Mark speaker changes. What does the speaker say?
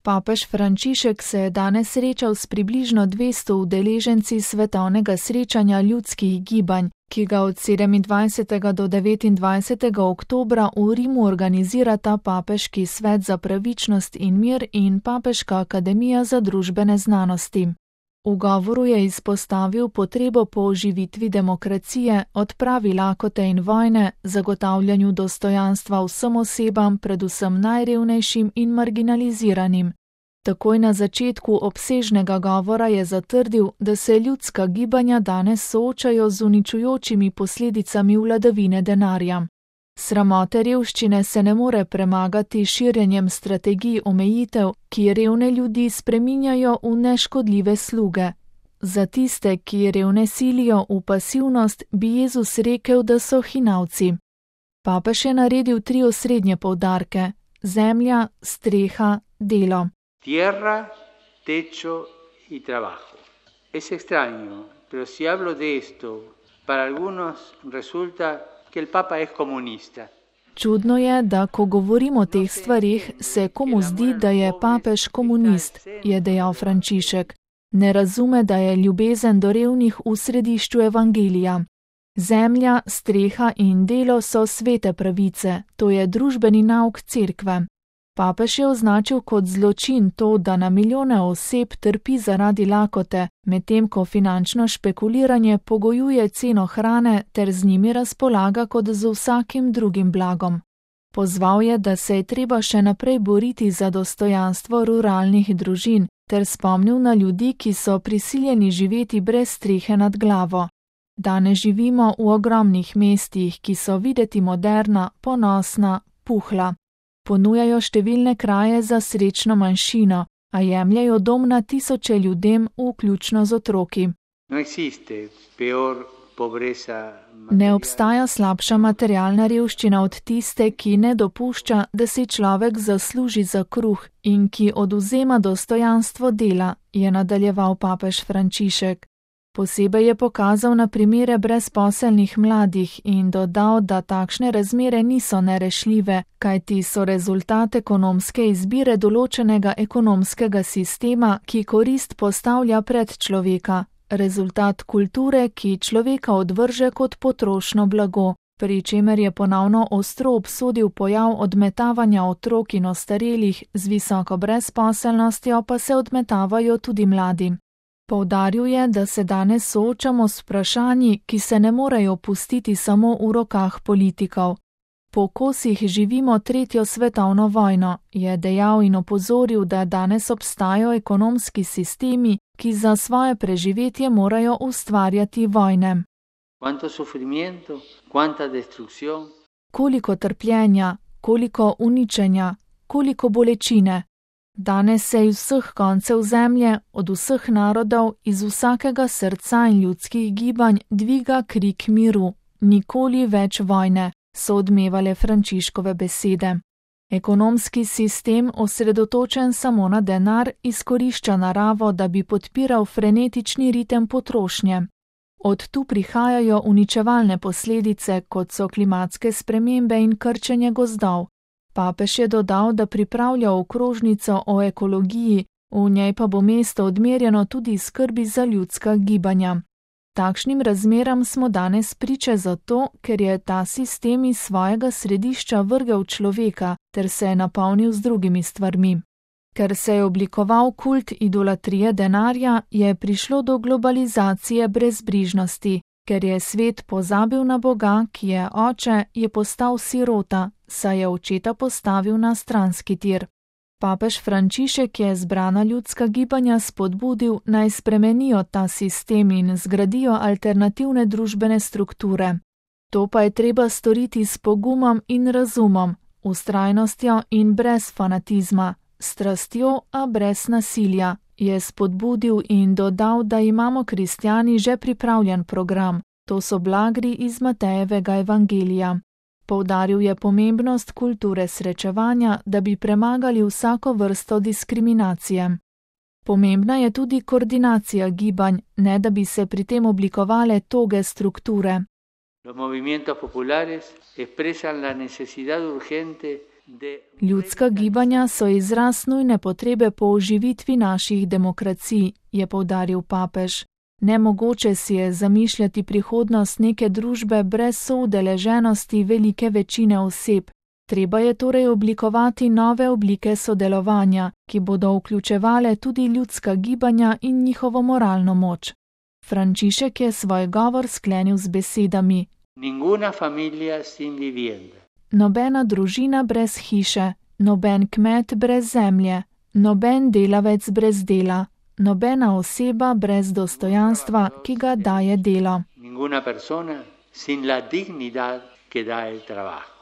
Speaker 1: Papež Frančišek se je danes srečal s približno 200 udeleženci svetovnega srečanja ljudskih gibanj, ki ga od 27. do 29. oktobra v Rimu organizirata Papeški svet za pravičnost in mir in Papeška akademija za družbene znanosti. V govoru je izpostavil potrebo po oživitvi demokracije, odpravi lakote in vojne, zagotavljanju dostojanstva vsem osebam, predvsem najrevnejšim in marginaliziranim. Takoj na začetku obsežnega govora je zatrdil, da se ljudska gibanja danes soočajo z uničujočimi posledicami vladavine denarja. Sramote revščine se ne more premagati širjenjem strategij omejitev, ki revne ljudi spreminjajo v neškodljive sluge. Za tiste, ki revne silijo v pasivnost, bi Jezus rekel, da so hinavci. Papež je naredil 3 osrednje poudarke: zemlja, streha, delo.
Speaker 2: Tierra, techo y trabajo. Es extraño, pero si hablo de esto, para algunos resulta que el Papa es comunista.
Speaker 1: Čudno je, da ko govorimo o teh stvarih, se komu zdi, da je papež komunist, je dejal Frančišek. Ne razume, da je ljubezen do revnih v središču evangelija. Zemlja, streha in delo so svete pravice, to je družbeni nauk cerkve. Papež je označil kot zločin to, da na milijone oseb trpi zaradi lakote, medtem ko finančno špekuliranje pogojuje ceno hrane ter z njimi razpolaga kot z vsakim drugim blagom. Pozval je, da se je treba še naprej boriti za dostojanstvo ruralnih družin, ter spomnil na ljudi, ki so prisiljeni živeti brez strehe nad glavo. Danes živimo v ogromnih mestih, ki so videti moderna, ponosna, puhla. Ponujajo številne kraje za srečno manjšino, a jemljajo dom na tisoče ljudem, vključno z otroki. Ne obstaja slabša materialna revščina od tiste, ki ne dopušča, da si človek zasluži za kruh in ki odvzema dostojanstvo dela, je nadaljeval papež Frančišek. Posebej je pokazal na primere brezposelnih mladih in dodal, da takšne razmere niso nerešljive, kajti so rezultat ekonomske izbire določenega ekonomskega sistema, ki korist postavlja pred človeka, rezultat kulture, ki človeka odvrže kot potrošno blago, pri čemer je ponovno ostro obsodil pojav odmetavanja otrok in ostarelih, z visoko brezposelnostjo pa se odmetavajo tudi mladi. Poudaril je, da se danes soočamo s vprašanji, ki se ne morejo pustiti samo v rokah politikov. Po kosih živimo 3. svetovno vojno, je dejal in opozoril, da danes obstajajo ekonomski sistemi, ki za svoje preživetje morajo ustvarjati vojne. Koliko trpljenja, koliko uničenja, koliko bolečine. Danes se iz vseh koncev zemlje, od vseh narodov, iz vsakega srca in ljudskih gibanj dviga krik miru. Nikoli več vojne, so odmevale Frančiškove besede. Ekonomski sistem, osredotočen samo na denar, izkorišča naravo, da bi podpiral frenetični ritem potrošnje. Od tu prihajajo uničevalne posledice, kot so klimatske spremembe in krčenje gozdov. Papež je dodal, da pripravlja okrožnico o ekologiji, v njej pa bo mesto odmerjeno tudi skrbi za ljudska gibanja. Takšnim razmeram smo danes priče zato, ker je ta sistem iz svojega središča vrgel človeka ter se je napolnil z drugimi stvarmi. Ker se je oblikoval kult idolatrije denarja, je prišlo do globalizacije brezbrižnosti. Ker je svet pozabil na Boga, ki je oče, je postal sirota, saj je očeta postavil na stranski tir. Papež Frančišek je zbrana ljudska gibanja spodbudil, naj spremenijo ta sistem in zgradijo alternativne družbene strukture. To pa je treba storiti s pogumom in razumom, vztrajnostjo in brez fanatizma, strastjo, a brez nasilja, je spodbudil in dodal, da imamo kristjani že pripravljen program. To so blagri iz Matejevega evangelija. Poudaril je pomembnost kulture srečevanja, da bi premagali vsako vrsto diskriminacije. Pomembna je tudi koordinacija gibanj, ne da bi se pri tem oblikovale toge strukture.
Speaker 2: Los movimientos populares expresan la necesidad urgente
Speaker 1: Ljudska gibanja so izraz nujne potrebe po oživitvi naših demokracij, je poudaril papež. Nemogoče si je zamišljati prihodnost neke družbe brez soudeleženosti velike večine oseb. Treba je torej oblikovati nove oblike sodelovanja, ki bodo vključevale tudi ljudska gibanja in njihovo moralno moč. Frančišek je svoj govor sklenil z besedami:
Speaker 2: Ninguna familia sin vivienda.
Speaker 1: Nobena družina brez hiše, noben kmet brez zemlje, noben delavec brez dela, nobena oseba brez dostojanstva, ki ga daje delo.
Speaker 2: Ninguna persona sin la dignidad que da el trabajo.